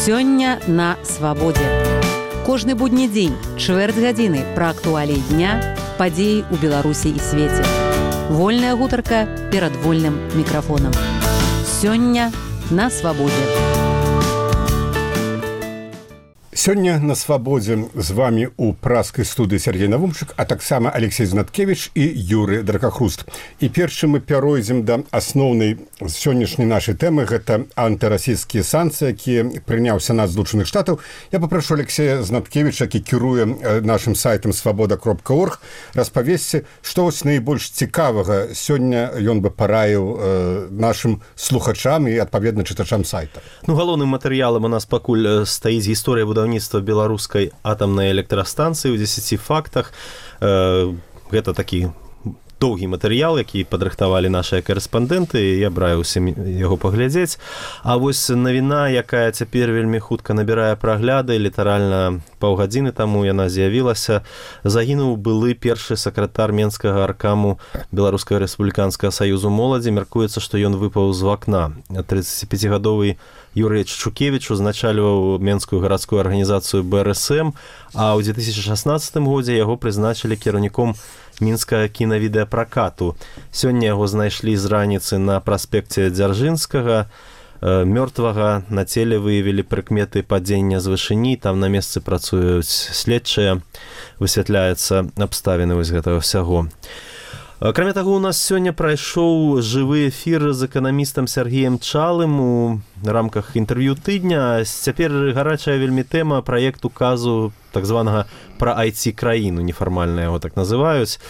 Сёння на свабодзе. Кожны будні дзень, чвэрць гадзіны пра актуаліі дня, падзеі ў Беларусі і свеце. Вольная гутарка перад вольным мікрафонам. Сёння на свабодзе. Сёння на свабодзе з вами у праскай студыі Сергей Навумчык, а таксама Алексей Знаткевич і Юрый Дракахруст. І першым мы пяройдзем да асноўнай сённяшняй нашай тэмы, гэта антырасійскія санкцыі, якія прыняў Сенат Злучаных Штатаў. Я папрошу Алексея Знаткевича, які кіруе нашым сайтам свабода.орг, распавесці, што вось найбольш цікавага сёння ён бы параіў нашым слухачам і адпаведна чытачам сайта. Галоўным матэрыялам у нас пакуль стаіць гісторыя будаўніцтва беларускай атамнай электрастанцыі ў 10 фактах. Гэта такі доўгі матэрыял, які падрыхтавалі нашыя карэспандэнты, я браюся яго паглядзець. А вось навіна, якая цяпер вельмі хутка набірае прагляды, літаральна паўгадзіны таму яна з'явілася, загінуў былы першы сакратар Менскага аркаму Беларускага рэспубліканскага саюзу моладзі. Мяркуецца, што ён выпаў з вакна. 35гадовы Юрый Чучукевич узначальваў Менскую гарадскую арганізацыю БРСМ, а ў 2016 годзе яго прызначылі кіраўніком мінскага кінавідэапракату. Сёння яго знайшлі з раніцы на праспекце Дзяржынскага. Мёртвага на целе выявілі прыкметы падзення з вышыні, там на месцы працуюць следчыя, высвятляецца абставіны вось гэтага ўсяго. Акрамя таго, у нас сёння прайшоў жывы эфір з эканамістам Сергеем Чалым у рамках інтэрв'ю тыдня. Цяпер гарачая вельмі тэма праект указу так званага пра IT-краіну, нефармальна яго так называюць.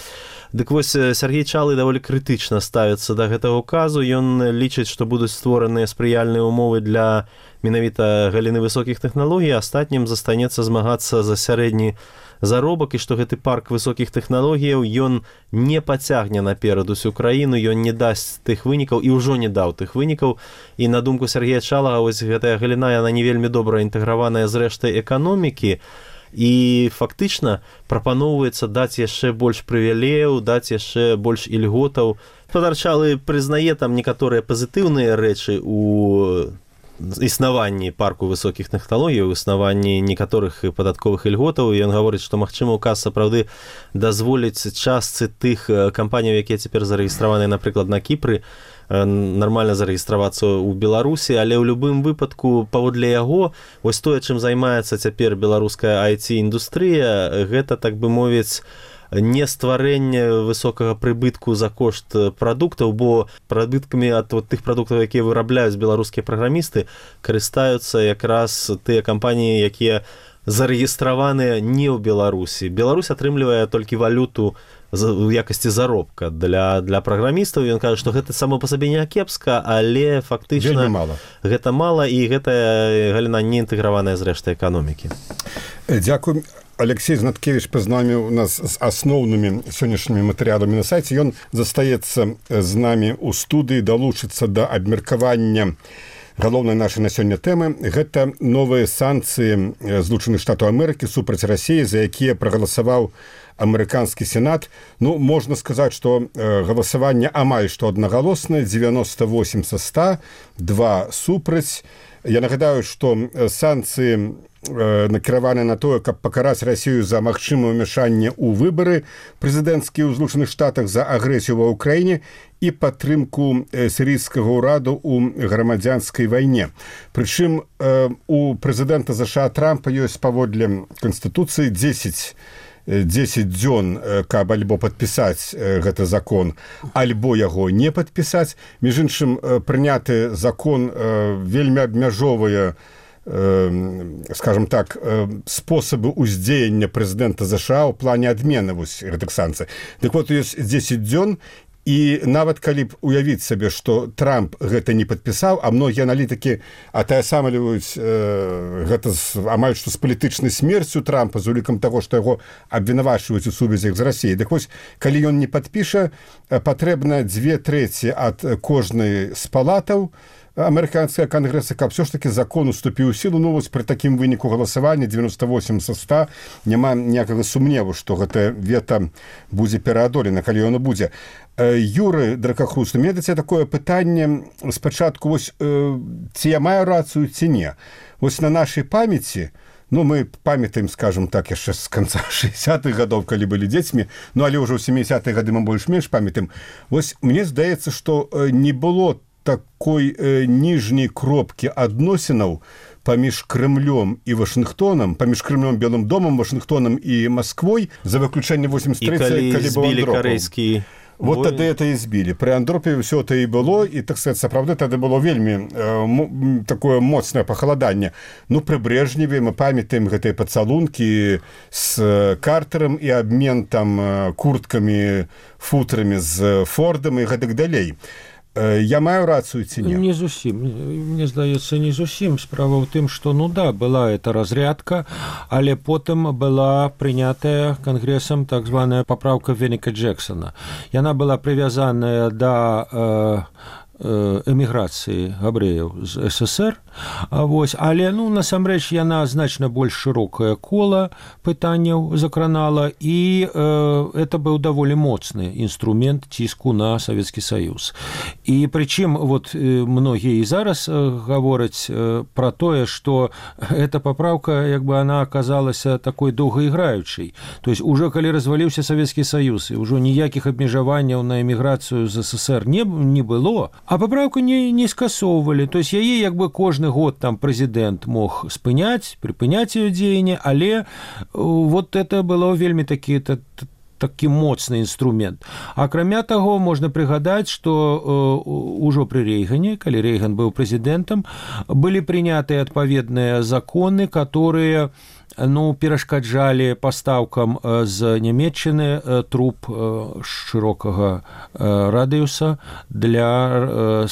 Дык вось Сергей Чалы даволі крытычна ставіцца да гэтага указу. Ён лічыць, што будуць створаныя спрыяльныя ўмовы для менавіта галіны высокіх тэхналогій, астатнім застанецца змагацца за сярэдні заробак, і што гэты парк высокіх тэхналогіяў ён не пацягне наперад усю краіну, ён не дасць тых вынікаў і ўжо не даў тых вынікаў. І на думку Сергея Чалага, вось гэтая галіна, яна не вельмі добра інтэграваная з рэштай эканомікі, і фактычна прапаноўваецца даць яшчэ больш прывілеяў, даць яшчэ больш ільготаў. Гаспадар Чалы прызнае там некаторыя пазітыўныя рэчы у існаванні парку высокіх тэхналогій, у існаванні некаторых падатковых ільготаў. Ён гаворыць, што магчыма указ сапраўды дазволіць частцы тых кампаній, якія цяпер зарэгістраваныя, напрыклад, на Кіпры, нармальна зарэгістравацца ў Беларусі, але ў любым выпадку паводле яго вось тое, чым займаецца цяпер беларуская IT-індустрыя, гэта, так бы мовіць, не стварэнне высокага прыбытку за кошт прадуктаў, бо прыбыткамі ад тых прадуктаў, якія вырабляюць беларускія праграмісты, карыстаюцца якраз тыя кампаніі, якія зарэгістраваныя не ў Беларусі. Беларусь атрымлівае толькі валюту у якасці заробка для праграмістаў. Ён кажа, што гэта само па сабе не кепска, але фактычна гэта мала, і гэтая галіна не інтэграваная з рэштай эканомікі. Дзякуй. Алексей Знаткевич пазнаміў нас з асноўнымі сённяшнімі матэрыяламі на сайце. Ён застаецца з намі ў студыі, далучыцца да абмеркавання галоўнай нашай на сёння тэмы. Гэта новыя санкцыі Злучаных Штатаў Амерыкі супраць Расіі, за якія прагаласаваў амерыканскі сенат. Можна сказаць, што галасаванне амаль што аднагалоснае, 98 са 100, 2 супраць. Я нагадаю, што санкцыі накіраваны на тое, каб пакараць Расію за магчымае ўмяшанне ў выбары прэзідэнцкія ў Злучаных Штатах, за агрэсію ва ўкраіне і падтрымку сірыйскага ўраду ў грамадзянскай вайне. Прычым у прэзідэнта ЗША Трампа ёсць паводле Канстытуцыі 10 дзён, каб альбо падпісаць гэты закон, альбо яго не падпісаць. Між іншым, прыняты закон вельмі абмяжоўвае, скажем так, спосабы ўздзеяння прэзідэнта ЗША ў плане адмены гэтых санкцый. Дык вот, ёсць 10 дзён, і нават калі б уявіць сабе, што Трамп гэта не падпісаў, а многія аналітыкі атаясамліваюць гэта амаль што з палітычнай смерцю Трампа, з улікам таго, што яго абвінавачваюць у сувязях з Расіяй. Дык вось, калі ён не падпіша, патрэбна 2/3 ад кожнай з палатаў амерыканскага кангрэса, каб все ж таки закон уступіў у сілу. Ну вось пры такім выніку галасавання 98 са 100 няма ніякага сумневу, што гэта вета будзе пераадолена, калі яно будзе. Юры Дракахруст, у меня да цябе такое пытанне спачатку, вось ці я маю рацыю ці не. Вось на нашай памяці, ну, мы памятаем, скажем так, яшчэ з канца 60-х гадоў, калі былі дзецьмі, ну, але ўжо ў 70-х гады мы больш-менш памятаем. Вось мне здаецца, што не было такой ніжняй кропкі адносінаў паміж Крымлём і Вашынгтонам, паміж Крымлём, Белым домам, Вашынгтонам і Масквой, за выключэнне 83-й, калі быў Андропаў. Вот тады это і збілі. Пры Андропе ўсё это і было, і, так сказать, сапраўды тады было вельмі такое моцнае пахаладанне. Ну, пры Брежневе мы памятаем гэтыя пацалункі з Картэрам і абмен там курткамі, футрамі з Фордам і гэтак далей. Я маю рацыю ці не? Не зусім. Мне здаецца, не зусім. Справа ў тым, што, ну да, была эта разрядка, але потым была прынятая Кангрэсам так званая папраўка Веника Джексона. Яна была прывязаная да эміграцыі габрэяў з СССР, вось, але, ну, насамрэч, яна значна больш шырокае кола пытанняў закранала, і это быў даволі моцны інструмент ціску на Савецкі Саюз. І прычым, вот, многія і зараз гавораць пра тое, што эта папраўка, як бы, она аказалася такой доўгаіграючай. То есть, уже калі разваліўся Савецкі Саюз, і ўжо ніякіх абмежаванняў на эміграцыю з СССР не было, а папраўку не скасоўвалі. То есть яе як бы кожны год там прэзідэнт мог спыняць, прыпыняць яе дзеянне, але вот это было вельмі такі моцны інструмент. Акрамя таго, можна прыгадаць, што ўжо пры Рейгане, калі Рейган быў прэзідэнтам, былі прынятыя адпаведныя законы, которые, ну, перашкаджалі пастаўкам з Нямецчыны труб шырокага радыуса для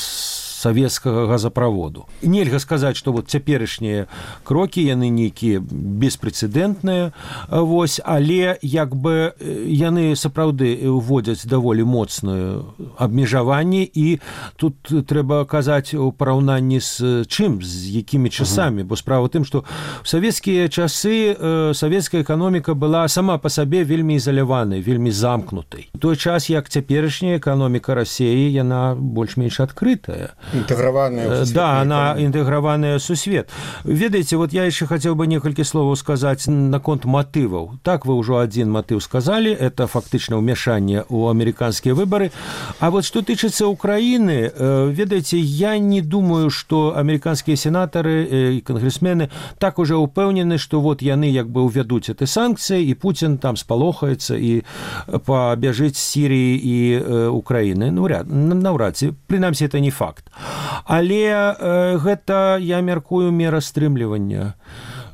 савецкага газаправоду. Нельга сказаць, што вот цяперашнія крокі, яны нейкія беспрэцэдэнтныя, вось, але як бы яны сапраўды ўводзяць даволі моцнае абмежаванне, і тут трэба казаць у параўнанні з чым, з якімі часамі, бо справа ў тым, што ў савецкія часы савецкая эканоміка была сама па сабе вельмі ізаляванай, вельмі замкнутай. У той час, як цяперашняя эканоміка Расіі, яна больш-менш адкрытая. Інтэграваная. Да, она інтэграваная сусвет. Ведаеце, вот я яшчэ хацеў бы некалькі словаў сказаць наконт матываў. Так, вы ўжо адзін матыў сказалі, это фактычна ўмяшанне ў амерыканскія выбары. А вот што тычыцца Украіны, ведаеце, я не думаю, што амерыканскія сенатары і кангрэсмены так уже ўпэўнены, што вот яны як бы ўвядуць эти санкцыі, і Пуцін там спалохаецца і пабяжыць з Сіріі і Украіны. Ну, наўрад ці, прынамсі, это не факт. Але гэта, я мяркую, мера стрымлівання.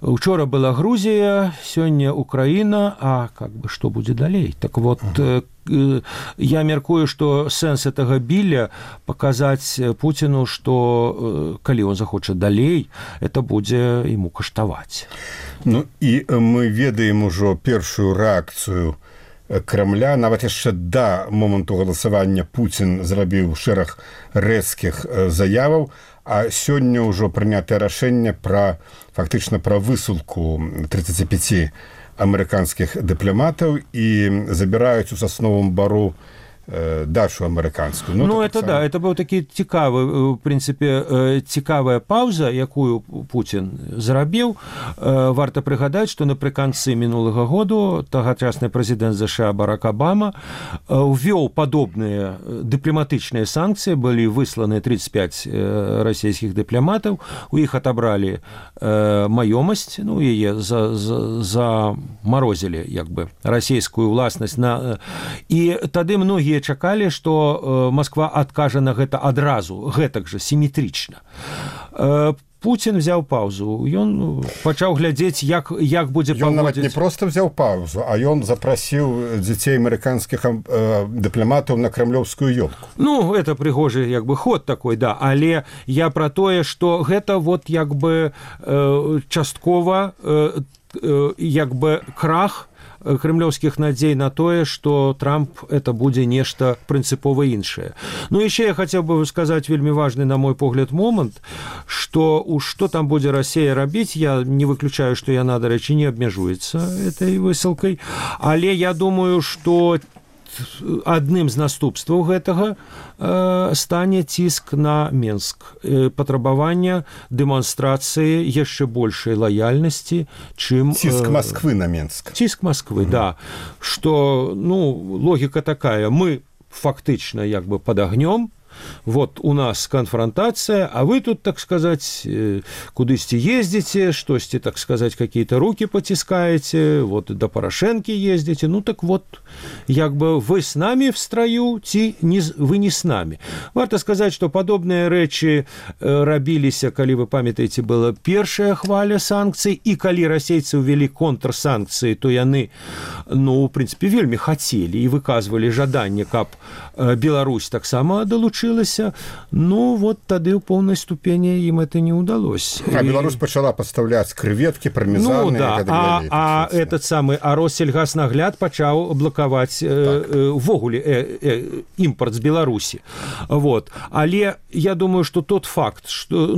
Учора была Грузія, сёння Украіна, а как бы што будзе далей? Так вот, я мяркую, што сэнс гэтага біля паказаць Пуціну, што калі он захоча далей, это будзе ему каштаваць. Ну і мы ведаем ужо першую рэакцыю Крамля. Нават яшчэ да моманту галасавання Пуцін зрабіў шэраг рэзкіх заяваў, а сёння ўжо прынятае рашэнне фактычна пра высылку 35 амерыканскіх дыпламатаў, і забіраюць у Сасновым Бару дачу амерыканскую. Ну, это да, это быў такі цікавы, в прынцыпе, цікавая паўза, якую Пуцін зрабіў. Варта прыгадаць, што напрыканцы мінулага году тагачасны прэзідэнт ЗША Барак Абама увёў падобныя дыпламатычныя санкцыі, былі высланы 35 расійскіх дыпламатаў, у іх атабралі маёмасць, ну, яе замарозілі, як бы, расійскую ўласнасць. І тады многія чакалі, што Масква адкажа на гэта адразу, гэтак жа, сіметрычна. Пуцін взяў паўзу, ён пачаў глядзець, як будзе паводзіць. Ён нават не проста взяў паўзу, а ён запрасіў дзяцей амерыканскіх дыпламатаў на крамлёўскую ёлку. Ну, это прыгожы, як бы, ход такой, да, але я пра тое, што гэта вот, як бы, часткова, як бы, крах кремлёўскіх надзей на тое, што Трамп это будзе нешта прынцыпова іншае. Ну яшчэ я хацеў бы сказаць вельмі важны, на мой погляд, момант, што што там будзе Расія рабіць, я не выключаю, што яна, дарэчы, не абмяжуецца этой высылкай, але я думаю, што адным з наступстваў гэтага стане ціск на Менск, патрабаванне дэманстрацыі яшчэ большай лаяльнасці, чым... Ціск Москвы на Менск. Ціск Москвы, да. Што, логіка такая, мы фактычна як бы пад агнём, вот у нас конфронтация, а вы тут, так сказать, кудысьці ездите, штосьці, так сказать, какие-то руки потискаете, вот до Порошенки ездите, так вот, як бы вы с нами в строю, вы не с нами. Варто сказать, что подобные рэчы рабіліся, калі вы памятаеце, была першая хваля санкцый, и калі расейцы увели контрсанкции, то яны, в принципе, вельмі хотели и выказывали жаданне, каб Беларусь таксама долучилась. Вот тады ў поўнай ступені ім это не удалось. А Беларусь пачала пастаўляць крэветкі, пармезаны. А Россельгаснагляд пачаў блакаваць увогуле імпорт з Беларусі. Але я думаю, што тот факт, што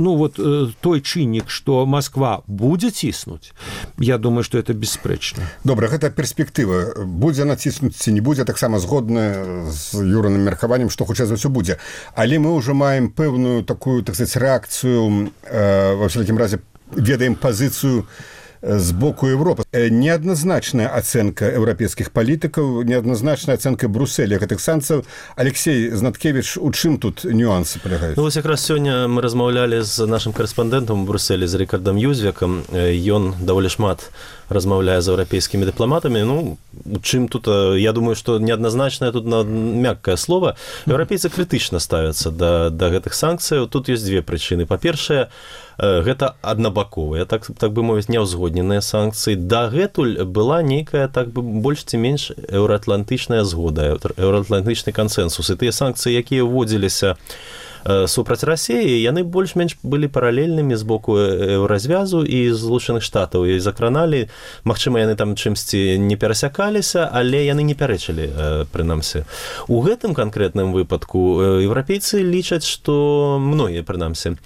той чыннік, што Москва будзе ціснуць, я думаю, што это бесспрэчна. Добра, гэта перспектыва. Будзе націснуць ці не будзе, таксама згодна з Юраным меркаваннем, што хутчэй за ўсё будзе. Але мы ўжо маем пэўную такую, так сказать, рэакцыю, ва ўсякім разе ведаем пазіцыю з боку Европы. Неадназначная ацэнка еўрапейскіх палітыкаў, неадназначная ацэнка Брюсселя гэтых санкцыяў. Алексей Знаткевич, у чым тут нюансы палягаюць? Вось якраз сёння мы размаўлялі з нашым карэспандэнтам у Брюсселі, з Рікардам Юзвекам. Ён даволі шмат размаўляе з еўрапейскімі дыпламатамі. У чым тут, я думаю, што неадназначнае тут мяккае слово. Еўрапейцы крытычна ставяцца да гэтых санкцыяў. Тут ёсць две прычыны. Па-першае, гэта аднабаковыя, так бы мовіць, няўзгодненыя санкцыі. Дагэтуль была нейкая, так бы больш ці менш еўраатлантычная згода, еўраатлантычны кансэнсус. І тыя санкцыі, якія ўводзіліся супраць Расіі, яны больш-менш былі паралельнымі з боку Еўразвязу і Злучаных Штатаў. І закраналі, магчыма, яны там чымсьці не перасякаліся, але яны не пярэчылі, прынамсі. У гэтым канкрэтным выпадку еўрапейцы лічаць, што многія, прынамсі,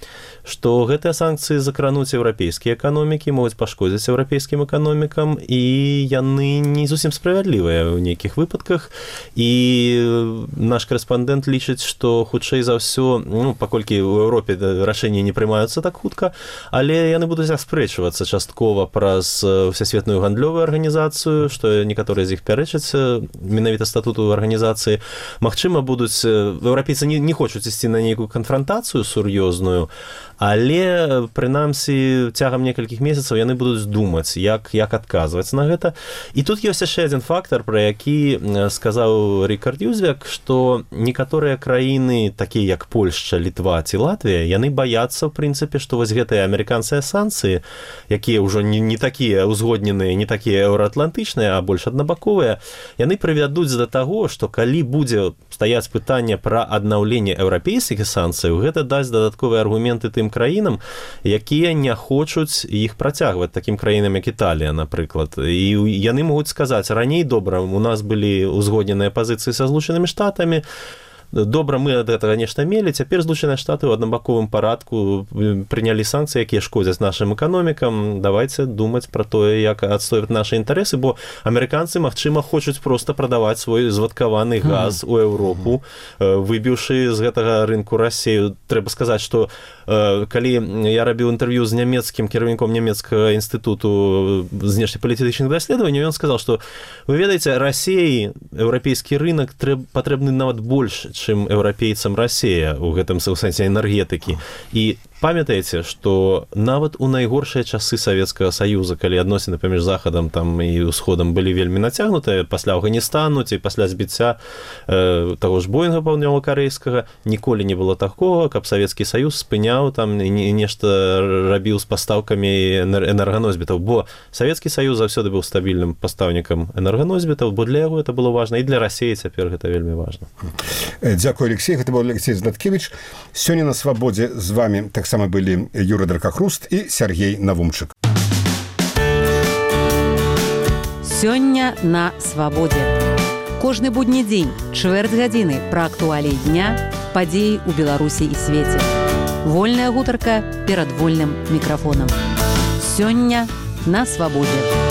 што гэтыя санкцыі закрануць еўрапейскія эканомікі, могуць пашкодзіць еўрапейскім эканомікам, і яны не зусім справядлівыя ў нейкіх выпадках. І наш корэспандэнт лічыць, што хутчэй за ўсё, паколькі ў Еўропе рашэнні не прымаюцца так хутка, але яны будуць аспрэчвацца часткова праз Всесветную гандлёвую арганізацыю, што некаторыя з іх пярэчаць менавіта статуту арганізацыі. Магчыма, будуць еўрапейцы не хочуць ісці на нейкую канфронтацыю сур'ёзную, але, прынамсі, цягам некалькіх месяцаў яны будуць думаць, як адказваць на гэта. І тут ёсць яшчэ адзін фактар, пра які сказаў Рікард Юзвек, што некаторыя краіны, такія як Польшча, Літва ці Латвія, яны баяцца, в прынцыпе, што вось гэтыя амерыканскія санкцыі, якія ўжо не такія ўзгодненыя, не такія еўраатлантычныя, а больш аднабаковыя, яны прывядуць да таго, што калі будзе стаяць пытанне пра аднаўленне еўрапейскіх санкцыяў, гэта дасць дадатковыя аргументы тым краінам, якія не хочуць іх працягваць, такім краінам, як Італія, напрыклад. І яны могуць сказаць, раней добра, у нас былі ўзгодненыя пазіцыі са Злучанымі Штатамі, добра, мы ад гэтага нешта мелі, цяпер Злучаныя Штаты ў аднабаковым парадку прынялі санкцыі, якія шкодзяць нашым эканомікам. Давайце думаць пра тое, як адстойваць нашы інтарэсы, бо амерыканцы, магчыма, хочуць проста прадаваць свой звадкаваны газ у Еўропу, выбіўшы з гэтага рынку Расію. Трэба сказаць, што калі я рабіў інтэрв'ю з нямецкім кіраўніком нямецкага інстытуту знешнепалітычных даследаванняў, ён сказаў, што, вы ведаеце, Расіі еўрапейскі рынок патрэбны нават больш, чым еўрапейцам Расія ў гэтым сэнсе энергетыкі. І памятаеце, што нават у найгоршыя часы Савецкага Саюза, калі адносіны паміж Захадам там і Усходам былі вельмі нацягнутыя, пасля Афганістану ці пасля збіцця таго ж Боінга паўднёва-карэйскага, ніколі не было такога, каб Савецкі Саюз спыняў там і нешта рабіў з пастаўкамі энерганосьбітаў, бо Савецкі Саюз заўсёды быў стабільным пастаўнікам энерганосьбітаў, бо для яго это было важна, і для Расіі цяпер гэта вельмі важна. Дзякую, Алексей. Гэта быў Алексей Знаткевич. Сёння на Свабодзе з вами таксама былі Юрый Дракахруст і Сергей Навумчык. Сёння на свабодзе. Кожны будні дзень, чвэрць гадзіны пра актуаліі дня, падзеі ў Беларусі і свеце. Вольная гутарка перад вольным мікрафонам. Сёння на свабодзе.